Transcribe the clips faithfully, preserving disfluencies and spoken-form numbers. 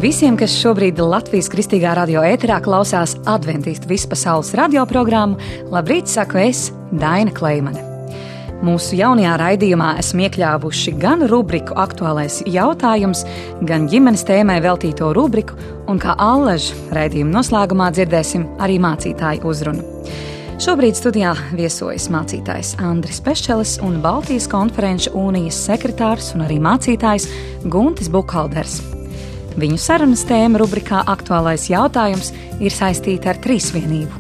Visiem, kas šobrīd Latvijas Kristīgā radio ēterā klausās Adventistu vispasaules radioprogrammu, labrīt, saku es, Daina Kleimane. Mūsu jaunajā raidījumā esam iekļāvuši gan rubriku Aktuālais jautājums, gan ģimenes tēmai veltīto rubriku, un kā allaž raidījuma noslēgumā dzirdēsim arī mācītāju uzrunu. Šobrīd studijā viesojas mācītājs Andris Peščelis un Baltijas konferenču unijas sekretārs un arī mācītājs Guntis Bukhalders. Viņu sarunas tēma rubrikā Aktuālais jautājums ir saistīta ar trīsvienību.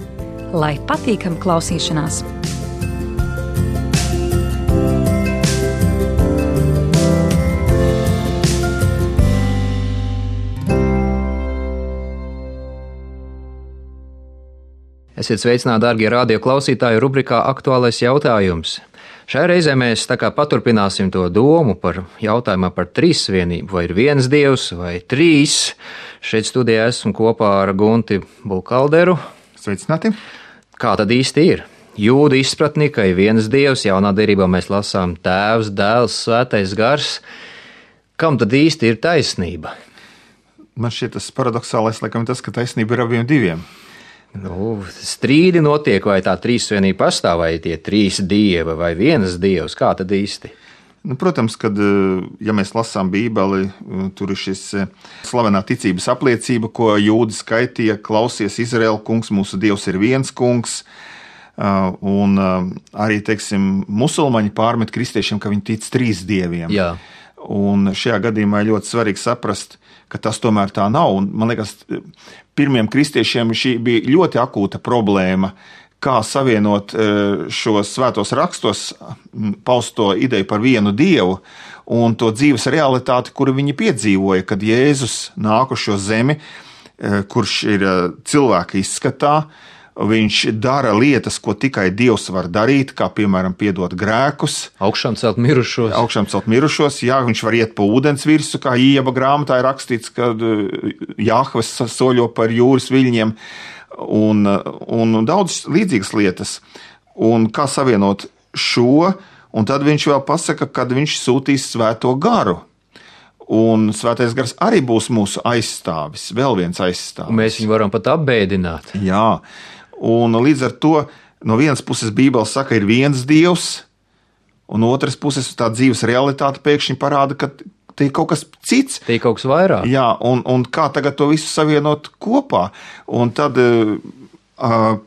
Lai patīkam klausīšanās! Esiet sveicināti, darbie radio klausītāji, rubrikā Aktuālais jautājums. Šajā reizē mēs tā kā paturpināsim to domu par jautājumā par trīsvienību, vai ir viens dievs vai trīs. Šeit studijā esmu kopā ar Gunti Bulkalderu. Sveicināti! Kā tad īsti ir? Jūdu izpratnī, ka ir viens dievs, jaunā derībā mēs lasām Tēvs, Dēls, Svētais Gars. Kam tad īsti ir taisnība? Man šķiet tas paradoxālais, laikam, tas, ka taisnība ir abiem diviem. Nu, strīdi notiek, vai tā trīsvienība pastāv, vai tie trīs dievi, vai viens dievs, kā tad īsti? Nu, protams, kad, ja mēs lasām Bībeli, tur ir šis slavenā ticības apliecība, ko jūdi skaitīja: klausies, Izraēla kungs, mūsu dievs ir viens kungs. Un arī, teiksim, musulmaņi pārmet kristiešiem, ka viņi tic trīs dieviem. Jā. Un šajā gadījumā ir ļoti svarīgi saprast, ka tas tomēr tā nav. Un, man liekas, pirmiem kristiešiem šī bija ļoti akūta problēma, kā savienot šos svētos rakstos pausto ideju par vienu dievu un to dzīves realitāti, kuru viņi piedzīvoja, kad Jēzus nāk uz šo zemi, kurš ir cilvēka izskatā. Viņš dara lietas, ko tikai Dievs var darīt, kā piemēram piedot grēkus. Augšām celt mirušos. Augšām celt mirušos, jā, viņš var iet pa ūdens virsu, kā Ījaba grāmatā ir rakstīts, kad Jahves soļo par jūras viļņiem, un, un daudz līdzīgas lietas. Un kā savienot šo, un tad viņš vēl pasaka, kad viņš sūtīs Svēto Garu. Un Svētais Gars arī būs mūsu aizstāvis, vēl viens aizstāvis. Un mēs viņu varam pat apbēdināt. Jā. Un līdz ar to no vienas puses Bībele saka, ir viens dievs, un otras puses tā dzīves realitāte pēkšņi parāda, ka te ir kaut kas cits. Te ir kaut kas vairāk. Jā, un, un kā tagad to visu savienot kopā. Un tad uh,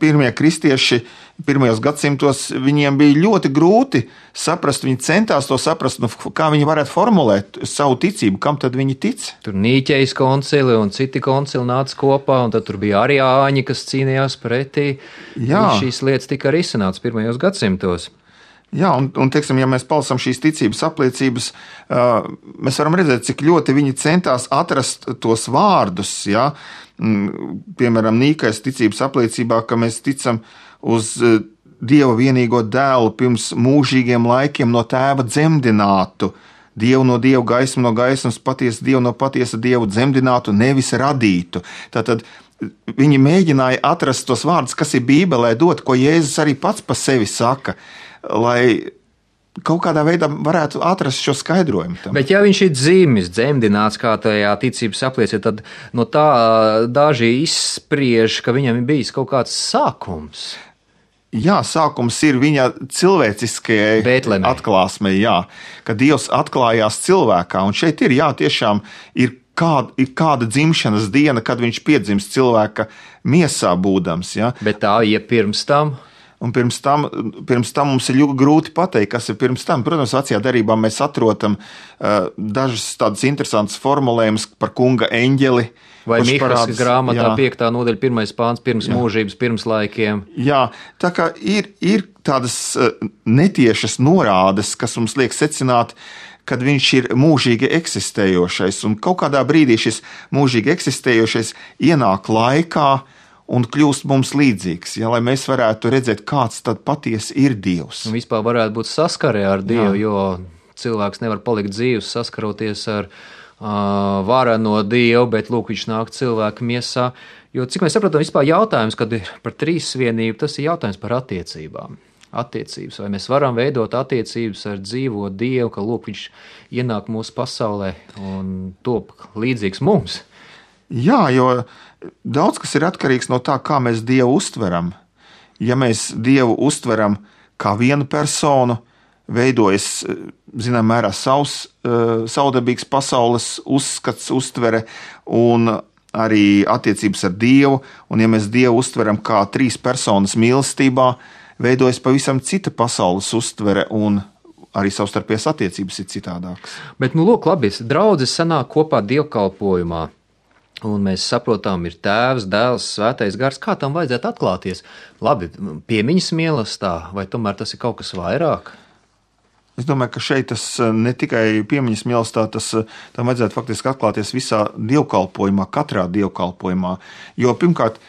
pirmie kristieši pirmajos gadsimtos viņiem bija ļoti grūti saprast, viņi centās to saprast, nu, kā viņi varētu formulēt savu ticību, kam tad viņi tic. Tur Nīķejas koncili un citi koncili nāca kopā, un tad tur bija arī āņi, kas cīnījās pretī. Jā. Šīs lietas tika arī izsanāts pirmajos gadsimtos. Jā, un, un teiksim, ja mēs palasām šīs ticības apliecības, uh, mēs varam redzēt, cik ļoti viņi centās atrast tos vārdus, ja? Piemēram, Nīķejas ticības apliecībā, ka mēs ticam uz Dieva vienīgo dēlu pirms mūžīgiem laikiem no tēva dzemdinātu, Dievu no Dieva, gaismu no gaismas, patiesu Dievu no patiesa Dievu dzemdinātu, nevis radītu. Tātad viņi mēģināja atrast tos vārdus, kas ir Bībelē dot, ko Jēzus arī pats pa sevi saka, lai kaut kādā veidā varētu atrast šo skaidrojumu tam. Bet ja viņš ir dzimis, dzemdināts, kā tajā ticības apliecībā, tad no tā daži izspriež, ka viņam ir bijis kaut kāds sākums. Jā, sākums ir viņa cilvēciskajai Bētlemē. atklāsmei, jā, ka Dievs atklājās cilvēkā, un šeit ir, jā, tiešām ir kāda, ir kāda dzimšanas diena, kad viņš piedzimst cilvēka miesā būdams, jā. Bet tā iepirms tam? Un pirms tam, pirms tam mums ir ļoti grūti pateikt, kas ir pirms tam. Protams, vecajā derībā mēs atrodam uh, dažas tādas interesantas formulējumus par kunga eņģeli. Vai Mihas grāmatā piektā nodaļa pirmais pāns pirms jā. mūžības, pirms laikiem. Jā, tā kā ir, ir tādas uh, netiešas norādes, kas mums liek secināt, kad viņš ir mūžīgi eksistējošais. Un kaut kādā brīdī šis mūžīgi eksistējošais ienāk laikā un kļūst mums līdzīgs, ja, lai mēs varētu redzēt, kāds tad patiesi ir Dievs. Un vispār varētu būt saskarē ar Dievu, jā. Jo cilvēks nevar palikt dzīvs, saskaroties ar uh, vareno Dievu, bet lūk, viņš nāk cilvēka miesā. Jo, cik mēs saprotam, vispār jautājums, kad ir par trīsvienību, tas ir jautājums par attiecībām. Attiecības, vai mēs varam veidot attiecības ar dzīvo Dievu, ka lūk, viņš ienāk mūsu pasaulē un top līdzīgs mums. Jā, jo daudz kas ir atkarīgs no tā, kā mēs Dievu uztveram. Ja mēs Dievu uztveram kā vienu personu, veidojas, zinām, mērā savs, savdabīgs pasaules uzskats, uztvere un arī attiecības ar Dievu, un ja mēs Dievu uztveram kā trīs personas mīlestībā, veidojas pavisam cita pasaules uztvere un arī savstarpējās attiecības ir citādākas. Bet, nu, lūk, labi, draudzes sanāk kopā dievkalpojumā. Un mēs saprotam, ir Tēvs, Dēls, Svētais Gars. Kā tam vajadzētu atklāties? Labi, piemiņas mīlestā, vai tomēr tas ir kaut kas vairāk? Es domāju, ka šeit tas ne tikai piemiņas mīlestā, tas tam vajadzētu faktiski atklāties visā dievkalpojumā, katrā dievkalpojumā. Jo pirmkārt,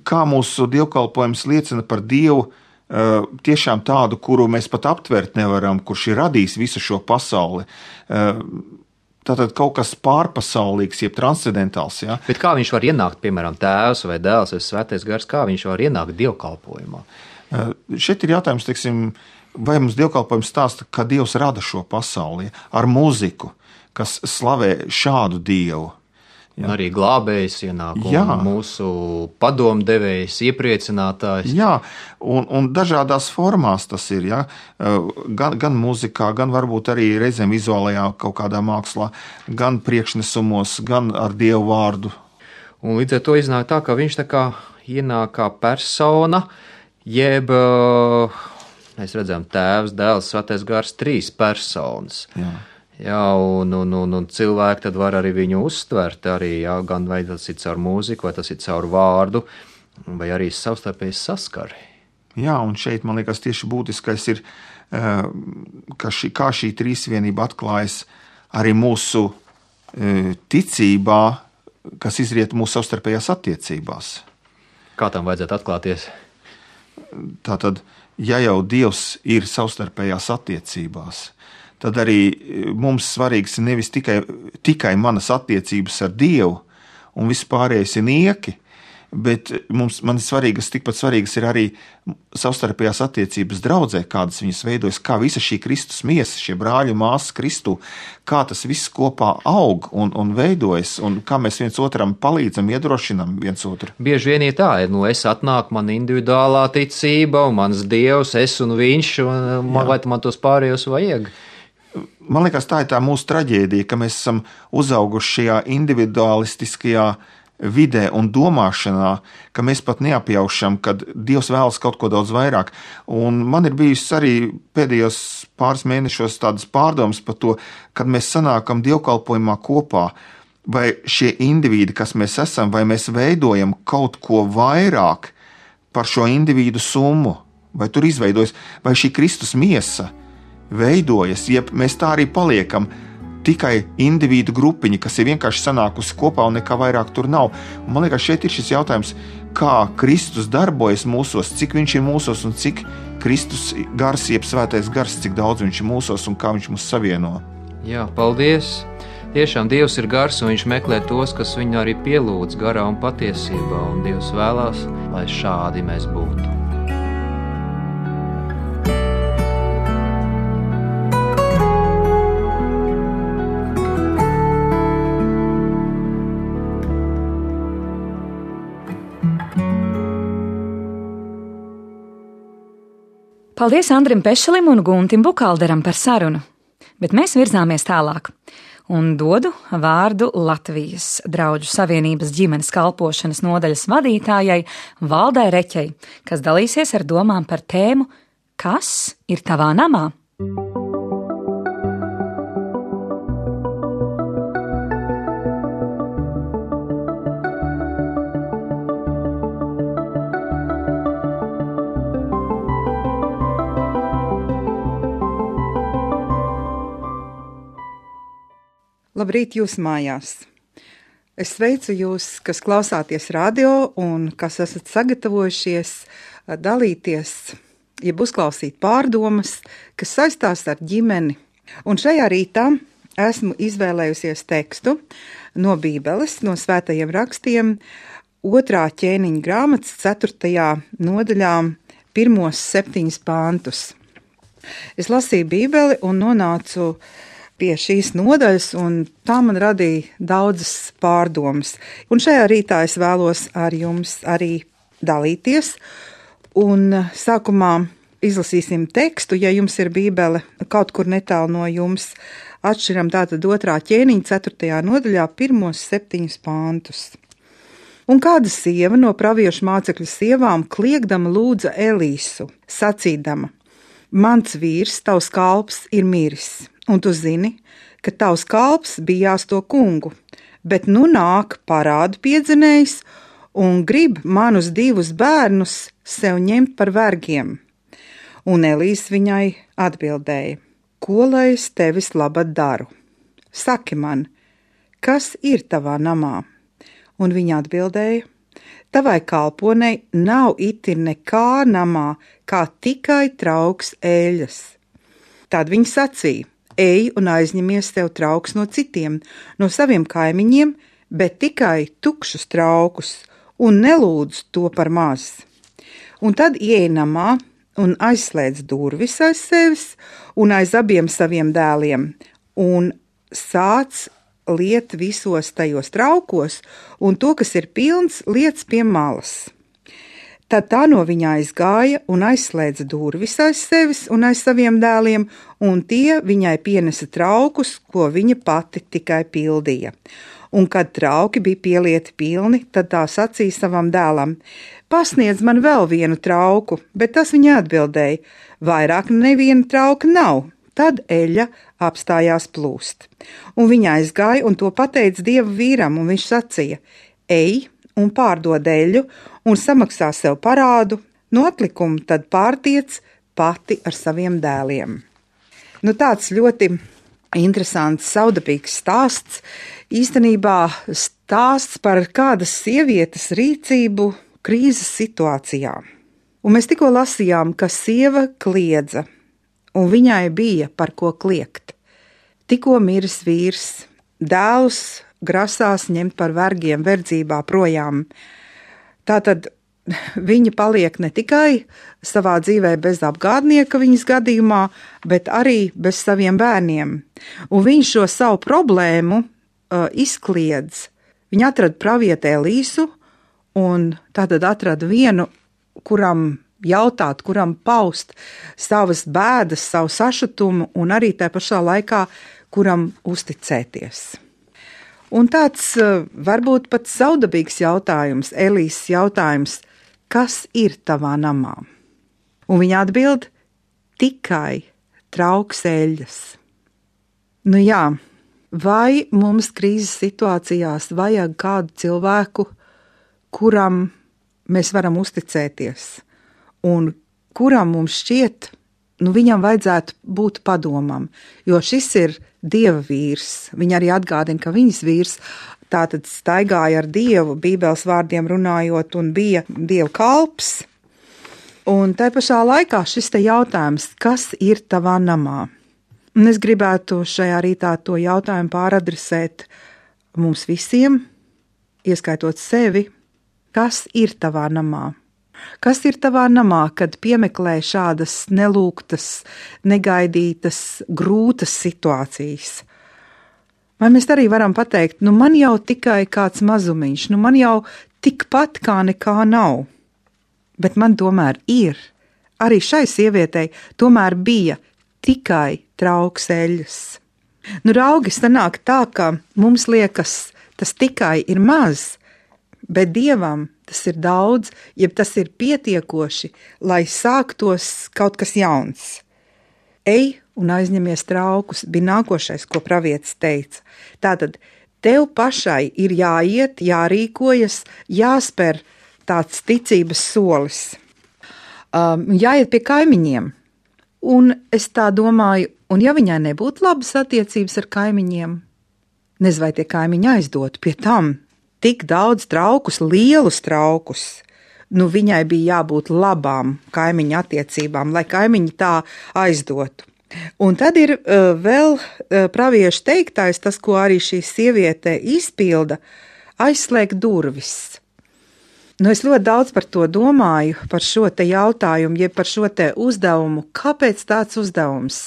kā mūsu dievkalpojums liecina par Dievu, tiešām tādu, kuru mēs pat aptvert nevaram, kurš ir radījis visu šo pasauli. Tātad kaut kas pārpasaulīgs, jeb transcendentāls. Ja? Bet kā viņš var ienākt, piemēram, Tēvs vai Dēls vai Svētais Gars, kā viņš var ienākt dievkalpojumā? Šeit ir jautājums, teiksim, vai mums dievkalpojums stāsta, ka Dievs rada šo pasauli ar mūziku, kas slavē šādu Dievu. Jā. Arī glābējs ienāk, un mūsu padomdevējs, iepriecinātājs. Jā, un, un dažādās formās tas ir, ja? gan, gan mūzikā, gan varbūt arī reizēm vizuālajā kaut kādā mākslā, gan priekšnesumos, gan ar Dievu vārdu. Un līdz ar to iznāk tā, ka viņš tā kā ienāk kā persona, jeb, mēs redzam, Tēvs, Dēls, Svētais Gars, trīs personas. Jā. Jā, un, un, un, un cilvēki tad var arī viņu uztvert, arī, jā, gan vai tas ir caur mūziku, vai tas ir caur vārdu, vai arī savstarpēji saskari. Jā, un šeit, man liekas, tieši būtiskais ir, ka šī, kā šī trīsvienība atklājas arī mūsu ticībā, kas izriet mūsu savstarpējās attiecībās. Kā tam vajadzētu atklāties? Tātad, ja jau Dievs ir savstarpējās attiecībās, tad arī mums svarīgs ir nevis tikai, tikai manas attiecības ar Dievu un vispārējais ir nieki, bet mums, man ir svarīgas, tikpat svarīgas ir arī savstarpējās attiecības draudzē, kādas viņas veidojas, kā visa šī Kristus miesa, šie brāļi un māsas Kristū, kā tas viss kopā aug un, un veidojas, un kā mēs viens otram palīdzam, iedrošinam viens otru. Bieži vien ir tā, nu es atnāku, man individuālā ticība, un mans Dievs, es un viņš, un man, vai man tos pārējos vajag? Man liekas, tā ir tā mūsu traģēdija, ka mēs esam uzauguši šajā individualistiskajā vidē un domāšanā, ka mēs pat neapjaušam, kad Dievs vēlas kaut ko daudz vairāk. Un man ir bijis arī pēdējos pāris mēnešos tādas pārdomas par to, kad mēs sanākam dievkalpojumā kopā, vai šie indivīdi, kas mēs esam, vai mēs veidojam kaut ko vairāk par šo individu summu, vai tur izveidojas, vai šī Kristus miesa veidojas, ja mēs tā arī paliekam, tikai individu grupiņi, kas ir vienkārši sanākusi kopā un nekā vairāk tur nav. Un man liekas, šeit ir šis jautājums, kā Kristus darbojas mūsos, cik viņš ir mūsos un cik Kristus gars, jeb Svētais Gars, cik daudz viņš ir mūsos un kā viņš mūs savieno. Jā, paldies! Tiešām Dievs ir gars un viņš meklē tos, kas viņu arī pielūdz garā un patiesībā, un Dievs vēlās, lai šādi mēs būtu. Paldies Andrim Pešelim un Guntim Bukalderam par sarunu, bet mēs virzāmies tālāk un dodu vārdu Latvijas Drauģu Savienības ģimenes kalpošanas nodaļas vadītājai Valdai Reķei, kas dalīsies ar domām par tēmu Kas ir tavā namā? Labrīt jūs mājās! Es sveicu jūs, kas klausāties radio un kas esat sagatavojušies dalīties, jeb uzklausīt pārdomas, kas saistās ar ģimeni. Un šajā rītā esmu izvēlējusies tekstu no Bībeles, no svētajiem rakstiem, otrā ķēniņa grāmatas ceturtajā nodaļā, pirmos septiņus pāntus. Es lasīju Bībeli un nonācu pie šīs nodaļas, un tā man radīja daudzas pārdomas. Un šajā rītā es vēlos ar jums arī dalīties, un sākumā izlasīsim tekstu, ja jums ir bībele kaut kur netālu no jums, atšķiram tātad otrā ķēniņa ceturtajā nodaļā pirmos septiņus pāntus. Un kāda sieva no praviešu mācekļu sievām kliegdama lūdza Elīsu, sacīdama: mans vīrs, tavs kalps, ir miris, un tu zini, ka tavs kalps bijās to kungu, bet nu nāk parādu piedzinējs un grib manus divus bērnus sev ņemt par vergiem. Un Elīs viņai atbildēja: ko lai es tevis labad daru? Saki man, kas ir tavā namā? Un viņa atbildēja: tavai kalponei nav iti nekā namā, kā tikai trauks eļas. Tad viņa sacīja: ej un aizņemies tev trauks no citiem, no saviem kaimiņiem, bet tikai tukšus traukus, un nelūdz to par maz. Un tad ieej namā un aizslēdz durvis aiz sevis un aiz abiem saviem dēliem, un sāc liet visos tajos traukos, un to, kas ir pilns, liec pie malas. Tad tā no viņa aizgāja un aizslēdza durvis aiz sevis un aiz saviem dēliem, un tie viņai pienesa traukus, ko viņa pati tikai pildīja. Un kad trauki bija pielieti pilni, tad tā sacīja savam dēlam: pasniedz man vēl vienu trauku, bet tas viņa atbildēja: vairāk neviena trauka nav. Tad eļļa apstājās plūst. Un viņa aizgāja un to pateica Dieva vīram, un viņš sacīja: ej un pārdod eļļu un samaksā sev parādu, no atlikumu tad pārtiec pati ar saviem dēliem. Nu, tāds ļoti interesants, saudabīgs stāsts, īstenībā stāsts par kādas sievietes rīcību krīzes situācijā. Un mēs tikko lasījām, ka sieva kliedza, un viņai bija par ko kliegt. Tikko miris vīrs, dēlus grasās ņemt par vergiem verdzībā projām. Tātad viņa paliek ne tikai savā dzīvē bez apgādnieka viņas gadījumā, bet arī bez saviem bērniem. Un viņš šo savu problēmu uh, izkliedz. Viņa atrada pravieti Elīsu, un tātad atrada vienu, kuram jautāt, kuram paust savas bēdas, savu sašutumu, un arī tā pašā laikā, kuram uzticēties. Un tāds varbūt pat saudabīgs jautājums, Elīses jautājums: kas ir tavā namā? Un viņa atbild: tikai trauks eļļas. Nu jā, vai mums krīzes situācijās vajag kādu cilvēku, kuram mēs varam uzticēties? Un kuram mums šķiet, nu viņam vajadzētu būt padomam, jo šis ir Dieva vīrs. Viņa arī atgādina, ka viņas vīrs tātad staigāja ar Dievu, Bībeles vārdiem runājot, un bija Dieva kalps. Un tai pašā laikā šis te jautājums: kas ir tavā namā? Un es gribētu šajā rītā to jautājumu pāradresēt mums visiem, ieskaitot sevi. Kas ir tavā namā? Kas ir tavā namā, kad piemeklē šādas nelūgtas, negaidītas, grūtas situācijas? Vai mēs arī varam pateikt: nu man jau tikai kāds mazumiņš, nu man jau tikpat kā nekā nav. Bet man tomēr ir. Arī šai sievietei tomēr bija tikai trauks eļļas. Nu raugi, sanāk tā, ka mums liekas, tas tikai ir maz, bet Dievam tas ir daudz, jeb tas ir pietiekoši, lai sāktos kaut kas jauns. Ej un aizņemies traukus, bija nākošais, ko pravietis teica. Tātad tev pašai ir jāiet, jārīkojas, jāspēr tāds ticības solis. Um, jāiet pie kaimiņiem. Un es tā domāju, un ja viņai nebūtu labas attiecības ar kaimiņiem, nezinu, vai tie kaimiņi aizdotu pie tam tik daudz traukus, lielus traukus. Nu, viņai bija jābūt labām kaimiņu attiecībām, lai kaimiņi tā aizdotu. Un tad ir uh, vēl uh, praviešu teiktais, tas, ko arī šī sieviete izpilda, aizslēgt durvis. Nu, es ļoti daudz par to domāju, par šo te jautājumu, jeb par šo te uzdevumu. Kāpēc tāds uzdevums?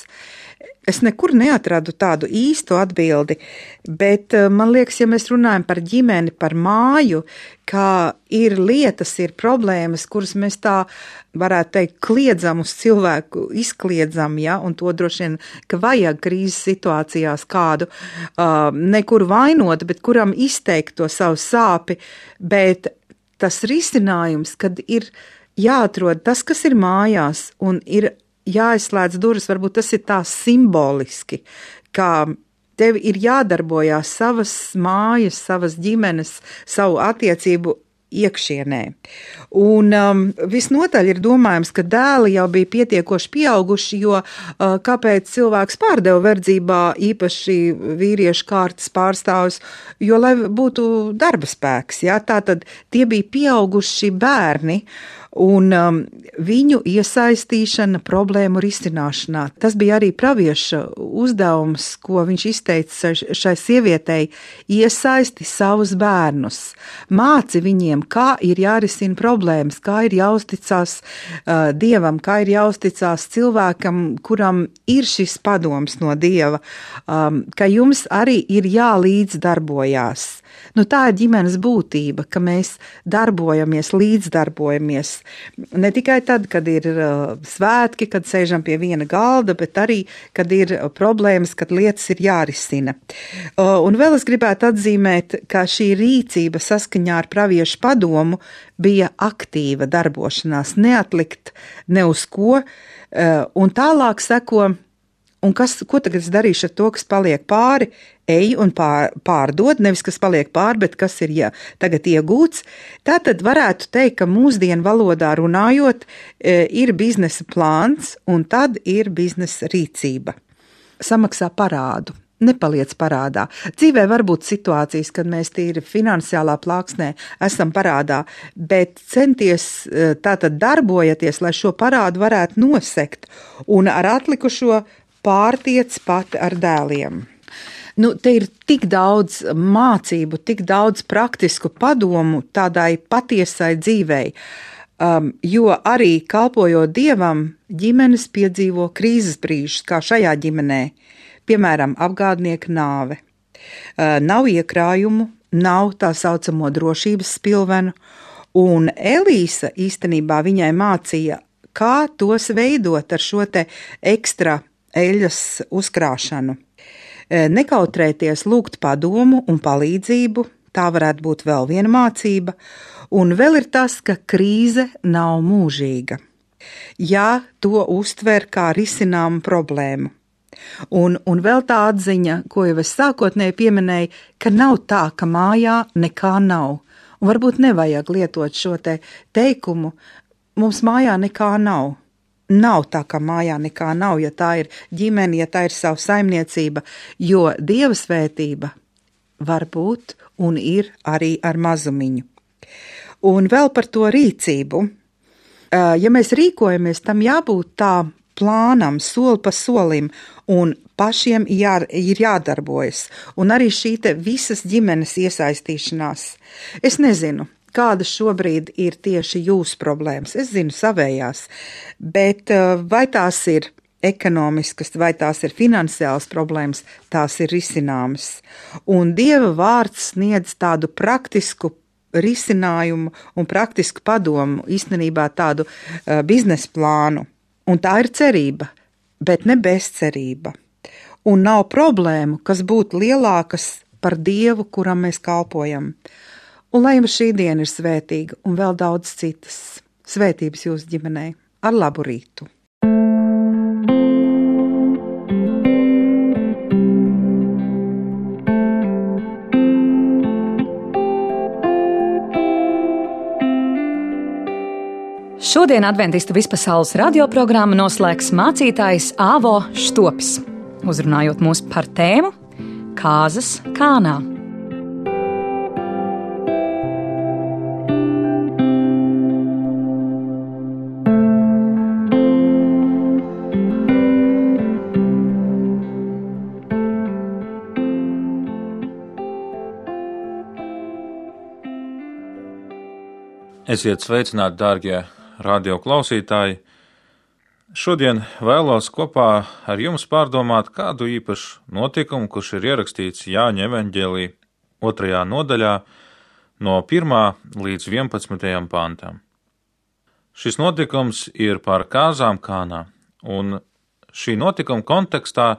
Es nekur neatradu tādu īstu atbildi, bet man liekas, ja mēs runājam par ģimeni, par māju, kā ir lietas, ir problēmas, kuras mēs tā varētu teikt kliedzam uz cilvēku, izkliedzam, ja, un to droši vien, ka vajag krīzes situācijās kādu uh, nekur vainot, bet kuram izteikt to savu sāpi, bet tas risinājums, kad ir jāatrod tas, kas ir mājās, un ir jāizslēdz durvis, varbūt tas ir tā simboliski, kā tev ir jādarbojās savas mājas, savas ģimenes, savu attiecību iekšienē. Un um, visnotaļ ir domājams, ka dēli jau bija pietiekoši pieauguši, jo uh, kāpēc cilvēks pārdeva verdzībā īpaši vīriešu kārtas pārstāvus, jo lai būtu darba spēks, ja? Tātad tie bija pieauguši bērni, un um, viņu iesaistīšana problēmu risināšanā. Tas bija arī pravieša uzdevums, ko viņš izteica šai sievietei, iesaisti savus bērnus, māci viņiem, kā ir jārisina problēmas, kā ir jāuzticās uh, Dievam, kā ir jāuzticās cilvēkam, kuram ir šis padoms no Dieva, um, ka jums arī ir jālīdzdarbojās. Nu, tā ir ģimenes būtība, ka mēs darbojamies, līdzdarbojamies. Ne tikai tad, kad ir uh, svētki, kad sēžam pie viena galda, bet arī, kad ir problēmas, kad lietas ir jārisina. Uh, un vēl es gribētu atzīmēt, ka šī rīcība saskaņā ar praviešu padomu bija aktīva darbošanās, neatlikt ne uz ko, uh, un tālāk seko, un kas, ko tagad es darīšu ar to, kas paliek pāri, ej un pār, pārdod, nevis kas paliek pāri, bet kas ir ja, tagad iegūts. Tātad varētu teikt, ka mūsdienu valodā runājot, ir biznesa plāns un tad ir biznesa rīcība. Samaksā parādu, nepaliec parādā. Dzīvē var būt situācijas, kad mēs tīri finansiālā plāksnē esam parādā, bet centies tātad darbojaties, lai šo parādu varētu nosekt un ar atlikušo pārtiec pat ar dēliem. Nu, te ir tik daudz mācību, tik daudz praktisku padomu tādai patiesai dzīvei, um, jo arī kalpojot Dievam, ģimenes piedzīvo krīzes brīžus, kā šajā ģimenē, piemēram, apgādnieka nāve. Uh, nav iekrājumu, nav tā saucamo drošības spilvenu, un Elīsa īstenībā viņai mācīja, kā tos veidot ar šo te ekstra eļas uzkrāšanu. Nekautrēties lūgt padomu un palīdzību, tā varētu būt vēl viena mācība, un vēl ir tas, ka krīze nav mūžīga. Ja to uztver kā risināmu problēmu. Un, un vēl tā atziņa, ko jau es sākotnēji pieminēju, ka nav tā, ka mājā nekā nav. Un varbūt nevajag lietot šo te teikumu, mums mājā nekā nav. Nav tā, ka mājā nekā nav, ja tā ir ģimene, ja tā ir savu saimniecība, jo Dieva svētība var būt un ir arī ar mazumiņu. Un vēl par to rīcību. Ja mēs rīkojamies, tam jābūt tā plānam, soli pa solim, un pašiem jā, ir jādarbojas. Un arī šī te visas ģimenes iesaistīšanās. Es nezinu, kāda šobrīd ir tieši jūsu problēmas. Es zinu savējās, bet vai tās ir ekonomiskas, vai tās ir finansiālas problēmas, tās ir risināmas. Un Dieva vārds sniedz tādu praktisku risinājumu un praktisku padomu, īstenībā tādu uh, biznesa plānu. Un tā ir cerība, bet ne bezcerība. Un nav problēmu, kas būtu lielākas par Dievu, kuram mēs kalpojam. Un lai jums šī diena ir svētīga un vēl daudz citas svētības jūsu ģimenei. Ar labu rītu! Šodien Adventistu vispasaules radioprogrammu noslēgs mācītājs Āvo Štopis, uzrunājot mūs par tēmu Kāzas Kānā. Esiet sveicināti, dārgie radio klausītāji! šodien vēlos kopā ar jums pārdomāt kādu īpašu notikumu, kurš ir ierakstīts Jāņa evaņģēlī otrajā nodaļā no pirmā līdz vienpadsmitajam pantam. Šis notikums ir par kāzām Kānā, un šī notikuma kontekstā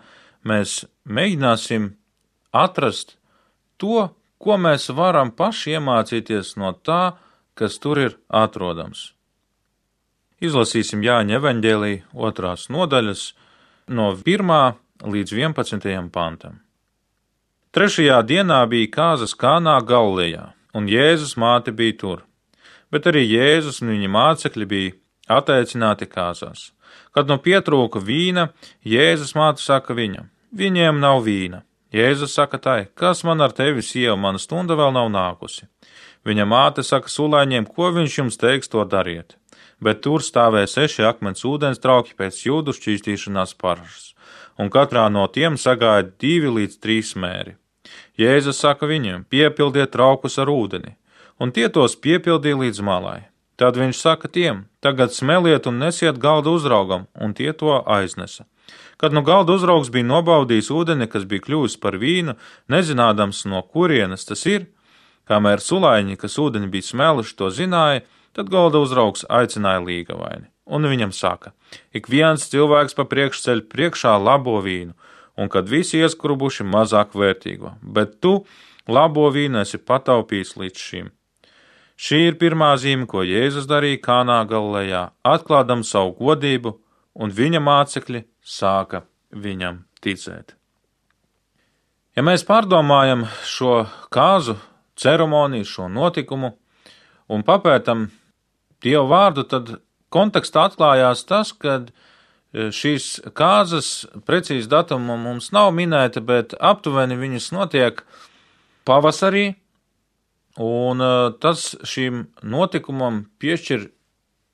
mēs mēģināsim atrast to, ko mēs varam paši iemācīties no tā, kas tur ir atrodams. Izlasīsim Jāņa evaņģēlī otrās nodaļas no pirmā līdz vienpadsmitajam pantam. Trešajā dienā bija kāzas Kānā Galilejā, un Jēzus māte bija tur, bet arī Jēzus un viņa mācekļi bija ateicināti kāzās. Kad nu pietrūka vīna, Jēzus māte saka viņam: viņiem nav vīna. Jēzus saka tai: kas man ar tevi, sieva, mana stunda vēl nav nākusi. Viņa māte saka sulaiņiem: ko viņš jums teiks, to dariet. Bet tur stāvēja seši akmens ūdens trauki pēc jūdu šķīstīšanās parašas, un katrā no tiem sagāja divi līdz trīs mēri. Jēzus saka viņiem: piepildiet traukus ar ūdeni, un tie tos piepildīja līdz malai. Tad viņš saka tiem: tagad smeliet un nesiet galda uzraugam, un tie to aiznesa. Kad nu galda uzraugs bija nobaudījis ūdeni, kas bija kļuvis par vīnu, nezinādams, no kurienes tas ir, kamēr sulaiņi, kas ūdeni bija smeluši, to zināja, tad galda uzraugs aicināja līgavaini. Un viņam saka: ik viens cilvēks pa priekšu ceļ priekšā labo vīnu, un kad visi ieskrubuši mazāk vērtīgo, bet tu labo vīnu esi pataupījis līdz šim. Šī ir pirmā zīme, ko Jēzus darīja Kānā Galilejā, atklādam savu godību, un viņa mācekļi sāka viņam ticēt. Ja mēs pārdomājam šo kāzu ceremoniju, šo notikumu un papētam Dieva vārdu, tad kontekstā atklājās tas, ka šīs kāzas precīzi datuma mums nav minēta, bet aptuveni viņas notiek pavasarī, un tas šim notikumam piešķir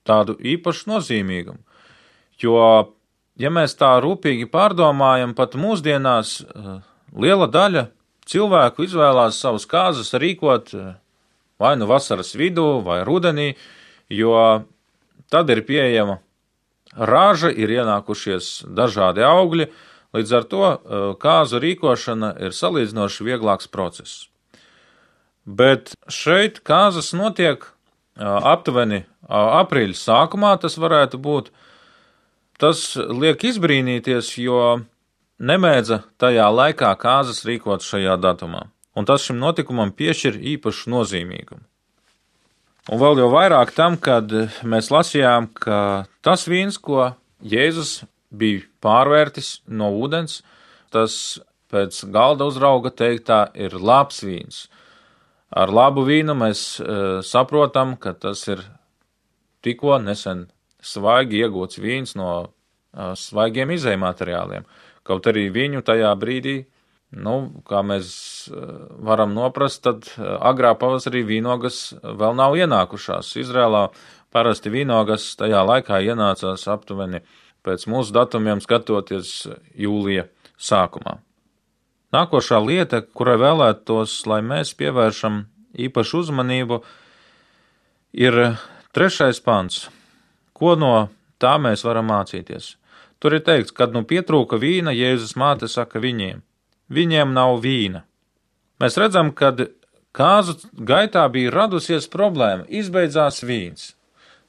tādu īpašu nozīmīgumu. Jo, ja mēs tā rūpīgi pārdomājam, pat mūsdienās liela daļa cilvēku izvēlās savus kāzas rīkot vai nu vasaras vidū vai rudenī, jo tad ir pieejama raža, ir ienākušies dažādi augļi, līdz ar to kāzu rīkošana ir salīdzinoši vieglāks process. Bet šeit kāzas notiek aptuveni aprīļa sākumā, tas varētu būt. Tas liek izbrīnīties, jo nemēdza tajā laikā kāzas rīkot šajā datumā, un tas šim notikumam piešķir īpašu nozīmīgumu. Un vēl jau vairāk tam, kad mēs lasījām, ka tas vīns, ko Jēzus bija pārvērtis no ūdens, tas pēc galda uzrauga teiktā ir labs vīns. Ar labu vīnu mēs e, saprotam, ka tas ir tikko nesen svaigi iegūts vīns no uh, svaigiem izejmateriāliem. Kaut arī viņu tajā brīdī, nu, kā mēs uh, varam noprast, tad uh, agrā pavasarī vīnogas vēl nav ienākušās. Izrēlā parasti vīnogas tajā laikā ienācās aptuveni pēc mūsu datumiem skatoties jūlija sākumā. Nākošā lieta, kurai vēlētos, lai mēs pievēršam īpašu uzmanību, ir trešais pants. Ko no tā mēs varam mācīties? Tur ir teikts, kad nu pietrūka vīna, Jēzus māte saka viņiem: viņiem nav vīna. Mēs redzam, kad kāzu gaitā bija radusies problēma, izbeidzās vīns.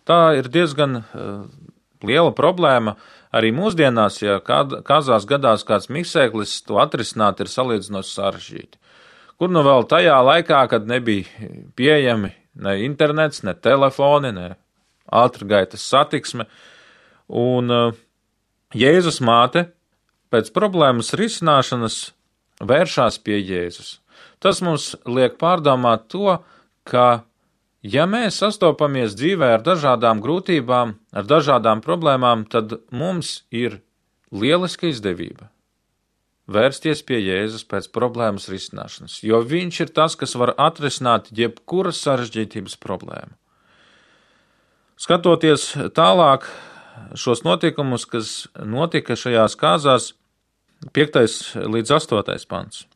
Tā ir diezgan uh, liela problēma arī mūsdienās, ja kād, kāzās gadās kāds miksēklis, to atrisināt ir salīdzinoši sarežģīti. Kur nu vēl tajā laikā, kad nebija pieejami ne internets, ne telefoni, ne ātrgaitas satiksme, un uh, Jēzus māte pēc problēmas risināšanas vēršās pie Jēzus. Tas mums liek pārdomāt to, ka ja mēs sastopamies dzīvē ar dažādām grūtībām, ar dažādām problēmām, tad mums ir lieliska izdevība vērsties pie Jēzus pēc problēmas risināšanas, jo viņš ir tas, kas var atrisināt jebkuras sarežģītības problēmu. Skatoties tālāk šos notikumus, kas notika šajās kāzās, piektais līdz astotais pants.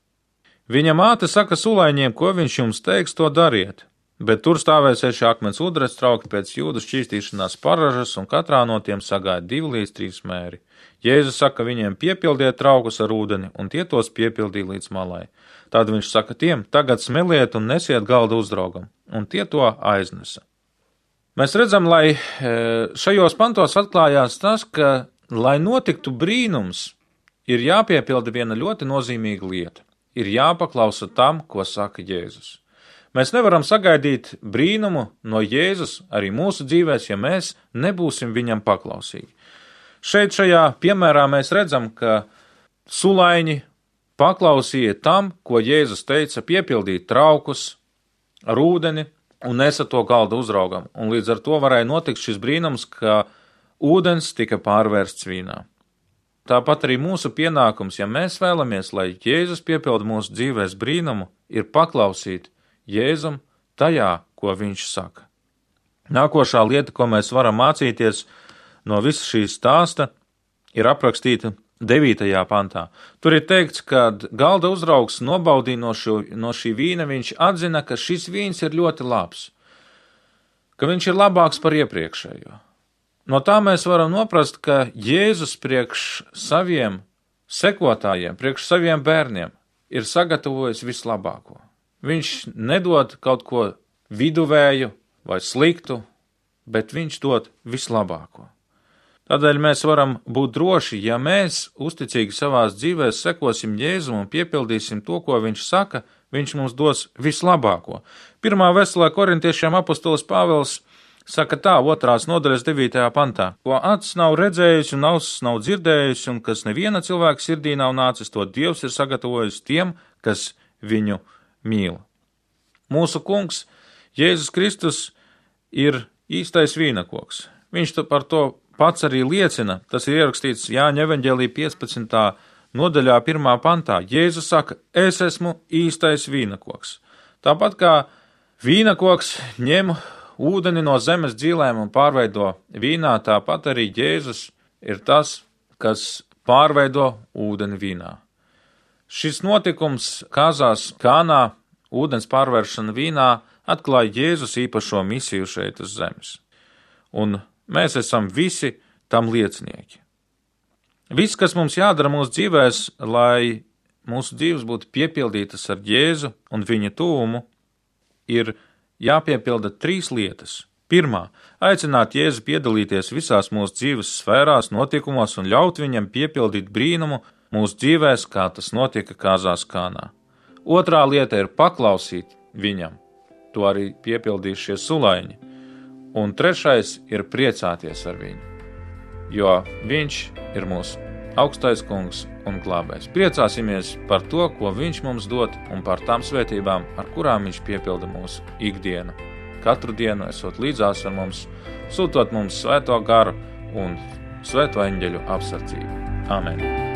Viņa māte saka sulaiņiem, ko viņš jums teiks, to dariet. bet tur stāvēs seši akmens udres trauki pēc jūdu šķīstīšanās paražas, un katrā no tiem sagāja divi līdz trīs mēri. Jēzus saka, viņiem piepildiet traukus ar ūdeni, un tie tos piepildīja līdz malai. Tad viņš saka tiem, tagad smeliet un nesiet galda uzraugam, un tie to aiznesa. Mēs redzam, lai šajos pantos atklājās tas, ka, lai notiktu brīnums, ir jāpiepilda viena ļoti nozīmīga lieta. Ir jāpaklausa tam, ko saka Jēzus. Mēs nevaram sagaidīt brīnumu no Jēzus arī mūsu dzīvēs, ja mēs nebūsim viņam paklausīgi. Šeit šajā piemērā mēs redzam, ka sulaiņi paklausīja tam, ko Jēzus teica, piepildīt traukus ar ūdeni un nesa to galda uzraugam. Un līdz ar to varēja notikt šis brīnums, ka ūdens tika pārvērsts vīnā. Tāpat arī mūsu pienākums, ja mēs vēlamies, lai Jēzus piepilda mūsu dzīvēs brīnumu, ir paklausīt Jēzum tajā, ko viņš saka. Nākošā lieta, ko mēs varam mācīties no visa šī stāsta, ir aprakstīta devītajā pantā. Tur ir teikts, ka galda uzraugs nobaudīja no, šo, no šī vīna, viņš atzina, ka šis vīns ir ļoti labs, ka viņš ir labāks par iepriekšējo. No tā mēs varam noprast, ka Jēzus priekš saviem sekotājiem, priekš saviem bērniem ir sagatavojis vislabāko. Viņš nedod kaut ko viduvēju vai sliktu, bet viņš dod vislabāko. Tādēļ mēs varam būt droši, ja mēs uzticīgi savās dzīvēs sekosim Jēzum un piepildīsim to, ko viņš saka, viņš mums dos vislabāko. Pirmā vēstulē korintiešiem apostolis Pāvils saka tā, otrās nodaļas devītajā pantā, ko acis nav redzējusi un ausis nav dzirdējusi, un kas neviena cilvēka sirdī nav nācis, to Dievs ir sagatavojis tiem, kas viņu mīl. Mūsu kungs, Jēzus Kristus, ir īstais vīnakoks. Viņš par to pats arī liecina, tas ir ierakstīts Jāņa evaņģēlija piecpadsmitā nodaļā pirmā pantā. Jēzus saka, es esmu īstais vīnakoks. Tāpat kā vīnakoks ņem ūdeni no zemes dzīlēm un pārveido vīnā, tāpat arī Jēzus ir tas, kas pārveido ūdeni vīnā. Šis notikums Kāzās Kānā, ūdens pārvēršana vīnā, atklāja Jēzus īpašo misiju šeit uz zemes. Un mēs esam visi tam liecinieki. Viss, kas mums jādara mūsu dzīvēs, lai mūsu dzīves būtu piepildītas ar Jēzu un viņa tūmu, ir jāpiepilda trīs lietas. Pirmā, aicināt Jēzu piedalīties visās mūsu dzīves sfērās, notikumos un ļaut viņam piepildīt brīnumu mūsu dzīvēs, kā tas notika Kāzās Kānā. Otrā lieta ir paklausīt viņam, to arī piepildīs šie sulaiņi. Un trešais ir priecāties ar viņu, jo viņš ir mūsu augstais kungs un glābējs. Priecāsimies par to, ko viņš mums dod, un par tām svētībām, ar kurām viņš piepilda mūsu ikdienu. Katru dienu esot līdzās ar mums, sūtot mums svēto garu un svēto eņģeļu apsardzību. Amen.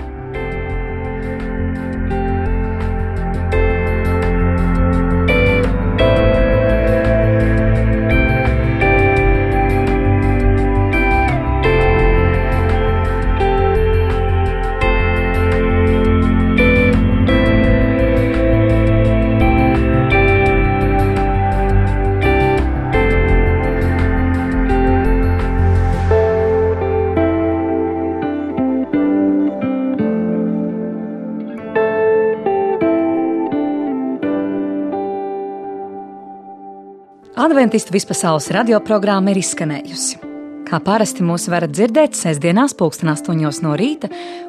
Adventistu vispasaules radioprogramma ir izskanējusi. Kā parasti mūs varat dzirdēt sestdienās pulksten astoņos no rīta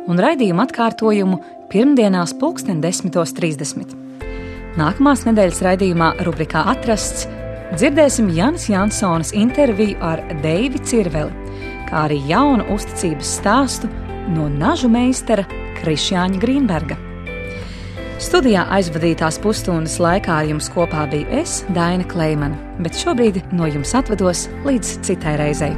un raidījumu atkārtojumu pirmdienās pulksten desmitos trīsdesmit. Nākamās nedēļas raidījumā rubrikā Atrasts dzirdēsim Janas Jansonas interviju ar Deivi Cirveli, kā arī jaunu uzticības stāstu no nažu meistara Krišjāņa Grīnberga. Studijā aizvadītās pusstundas laikā ar jums kopā biju es, Daina Kleimane, bet šobrīd no jums atvados līdz citai reizei.